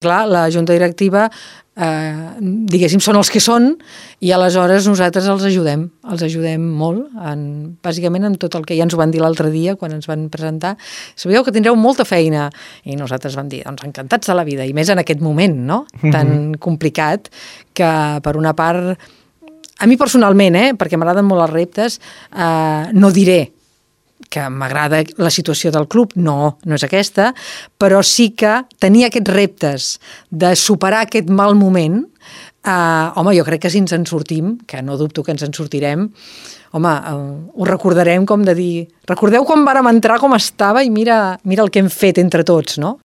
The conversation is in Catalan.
Clar, la junta directiva, diguéssim, són els que són i aleshores nosaltres els ajudem molt, bàsicament en tot el que ja ens ho van dir l'altre dia quan ens van presentar. Sabíeu que tindreu molta feina i nosaltres vam dir, doncs encantats de la vida, i més en aquest moment, no? Tan complicat que per una part, a mi personalment, perquè m'agraden molt els reptes, no diré que m'agrada la situació del club, no és aquesta, però sí que tenir aquests reptes de superar aquest mal moment, home, jo crec que si ens en sortim, que no dubto que ens en sortirem, home, ho recordarem com de dir, recordeu quan vàrem entrar com estava i mira el que hem fet entre tots, no?